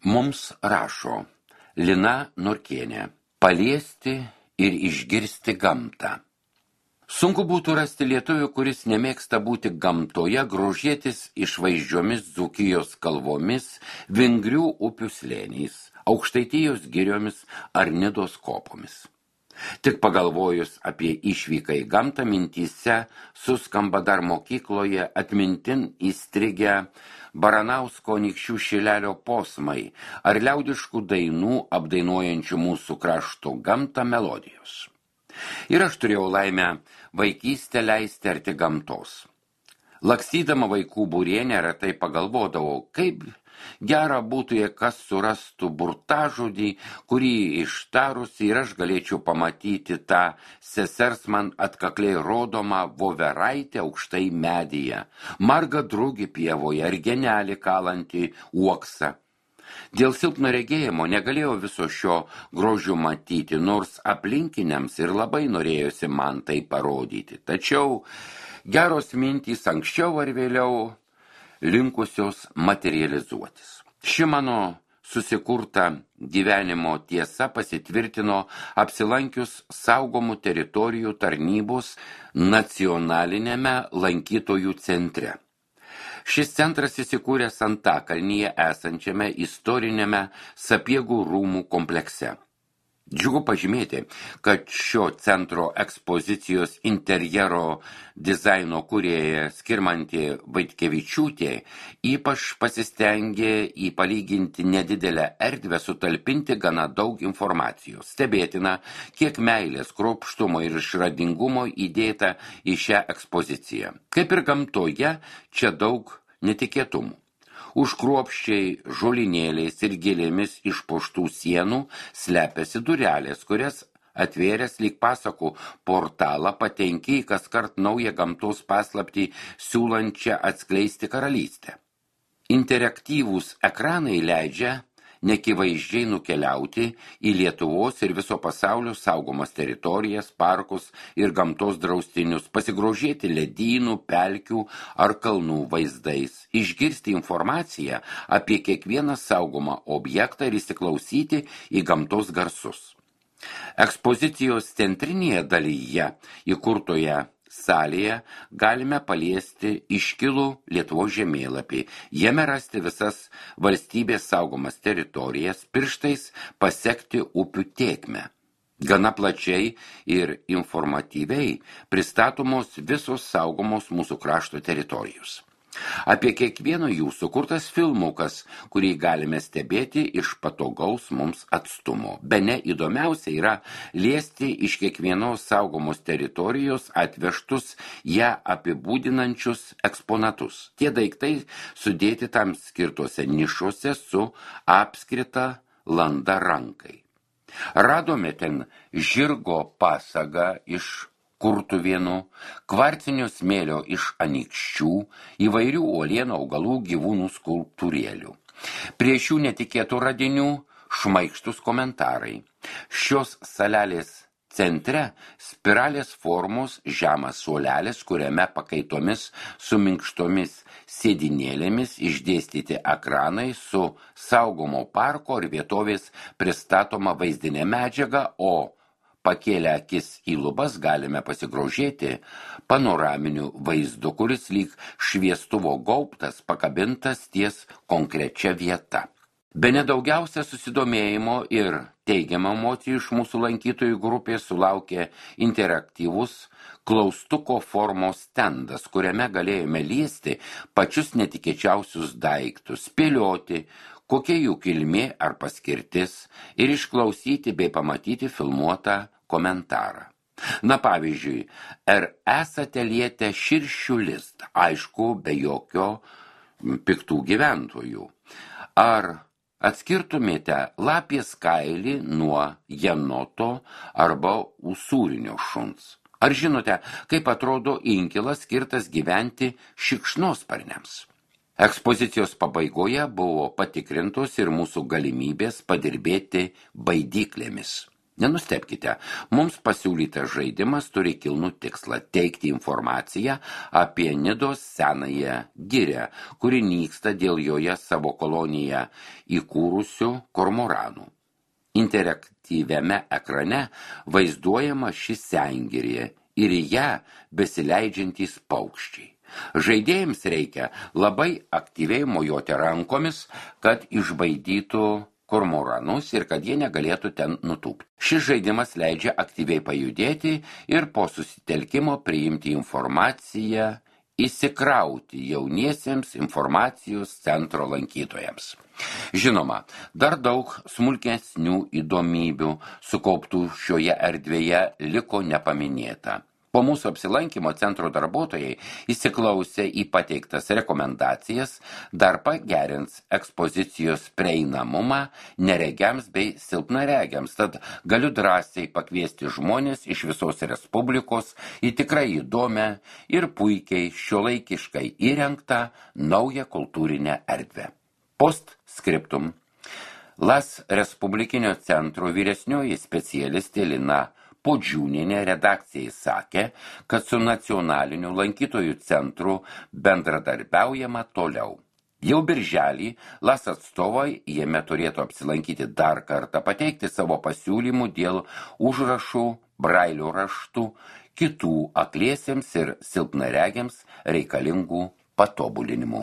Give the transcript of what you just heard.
Mums rašo Lina Norkienė: paliesti ir išgirsti gamtą. Sunku būtų rasti lietuvių, kuris nemėgsta būti gamtoje, grožėtis išvaizdžiomis Dzūkijos kalvomis, vingrių upių slėniais, Aukštaitijos giriomis ar Nidos kopomis. Tik pagalvojus apie išvyką į gamtą, mintyse suskamba dar mokykloje atmintin įstrigę Baranausko Anykščių Šilelio posmai ar liaudiškų dainų apdainuojančių mūsų krašto gamtą melodijos. Ir aš turėjau laimę vaikystę leisti arti gamtos. Lakstydama vaikų būrienę retai pagalvodavau, kaip gera būtų, jei kas surastų burtažodį, kurį ištarus ir aš galėčiau pamatyti tą sesers man atkakliai rodomą voveraitę aukštai medyje, margą drugį pievoje ar genelį kalantį uoksą. Dėl silpno regėjimo negalėjau viso šio grožio matyti, nors aplinkiniams ir labai norėjosi man tai parodyti. Tačiau geros mintys anksčiau ar vėliau linkusios materializuotis. Ši mano susikurta gyvenimo tiesa pasitvirtino apsilankius saugomų teritorijų tarnybos nacionalinėme lankytojų centre. Šis centras įsikūręs Antakalnyje esančiame istoriniame Sapiegų rūmų komplekse. Džiugu pažymėti, kad šio centro ekspozicijos interjero dizaino kūrėja Skirmantė Vaitkevičiūtė ypač pasistengė į palyginti nedidelę erdvę sutalpinti gana daug informacijos. Stebėtina, kiek meilės, kruopštumo ir išradingumo įdėta į šią ekspoziciją. Kaip ir gamtoje, čia daug netikėtumų. Už kruopščiai žolinėliais ir gėlėmis išpuoštų sienų slepiasi durelės, kurias atvėręs lyg pasakų portalą patenki į kaskart naują gamtos paslaptį siūlančią atskleisti karalystę. Interaktyvūs ekranai leidžia nekivaizdžiai nukeliauti į Lietuvos ir viso pasaulio saugomas teritorijas, parkus ir gamtos draustinius, pasigrožėti ledynų, pelkių ar kalnų vaizdais, išgirsti informaciją apie kiekvieną saugomą objektą ir įsiklausyti į gamtos garsus. Ekspozicijos centrinėje dalyje įkurtoje salėje galime paliesti iškilų Lietuvos žemėlapį, jame rasti visas valstybės saugomas teritorijas, pirštais pasekti upių tėkmę. Gana plačiai ir informatyviai pristatomos visos saugomos mūsų krašto teritorijos. Apie kiekvieno jų sukurtas filmukas, kurį galime stebėti iš patogaus mums atstumo. Bene įdomiausia yra liesti iš kiekvienos saugomos teritorijos atvežtus ją apibūdinančius eksponatus. Tie daiktai sudėti tam skirtose nišose su apskrita landa rankai. Radome ten žirgo pasagą iš Kurtuvėnų, kvarcinio smėlio iš Anykščių, įvairių uolienų, augalų, gyvūnų skulptūrėlių. Prie šių netikėtų radinių šmaikštus komentarai. Šios salelės centre spiralės formos žemas suolelis, kuriame pakaitomis su minkštomis sėdinėlėmis išdėstyti ekranai su saugomo parko ar vietovės pristatoma vaizdinė medžiaga, o pakėlę akis į lubas galime pasigrožėti panoraminiu vaizdu, kuris lyg šviestuvo gaubtas pakabintas ties konkrečia vieta. Bene daugiausia susidomėjimo ir teigiamą emocijų iš mūsų lankytojų grupės sulaukė interaktyvus klaustuko formos stendas, kuriame galėjome liesti pačius netikėčiausius daiktus, spėlioti, kokia jų kilmė ar paskirtis ir išklausyti bei pamatyti filmuotą komentarą. Na pavyzdžiui, ar esate lietę širšių listą, aišku, be jokio piktų gyventojų. Ar atskirtumėte lapės kailį nuo jenoto arba usūrinio šuns? Ar žinote, kaip atrodo inkilas skirtas gyventi šikšnosparniams? Ekspozicijos pabaigoje buvo patikrintos ir mūsų galimybės padirbėti baidyklėmis. Nenustebkite, mums pasiūlytas žaidimas turi kilnų tikslą teikti informaciją apie Nidos senąją girią, kuri nyksta dėl joje savo koloniją įkūrusių kormoranų. Interaktyviame ekrane vaizduojama ši sengirė ir į ją besileidžiantys paukščiai. Žaidėjams reikia labai aktyviai mojuoti rankomis, kad išbaidytų kormoranus ir kad jie negalėtų ten nutūpti. Šis žaidimas leidžia aktyviai pajudėti ir po susitelkimo priimti informaciją, įsikrauti jauniesiems informacijos centro lankytojams. Žinoma, dar daug smulkesnių įdomybių sukauptų šioje erdvėje liko nepaminėta. Po mūsų apsilankymo centro darbuotojai įsiklausė į pateiktas rekomendacijas, dar pagerins ekspozicijos prieinamumą neregiams bei silpnaregiams, tad galiu drąsiai pakviesti žmonės iš visos Respublikos į tikrai įdomią ir puikiai šiuolaikiškai įrengtą naują kultūrinę erdvę. Postscriptum. LAS Respublikinio centro vyresnioji specialistė Lina Podžiūnienė redakcijai sakė, kad su nacionaliniu lankytojų centru bendradarbiaujama toliau. Jau birželį LAS atstovai jame turėtų apsilankyti dar kartą, pateikti savo pasiūlymų dėl užrašų, brailio raštų, kitų akliesiems ir silpnaregiams reikalingų patobulinimų.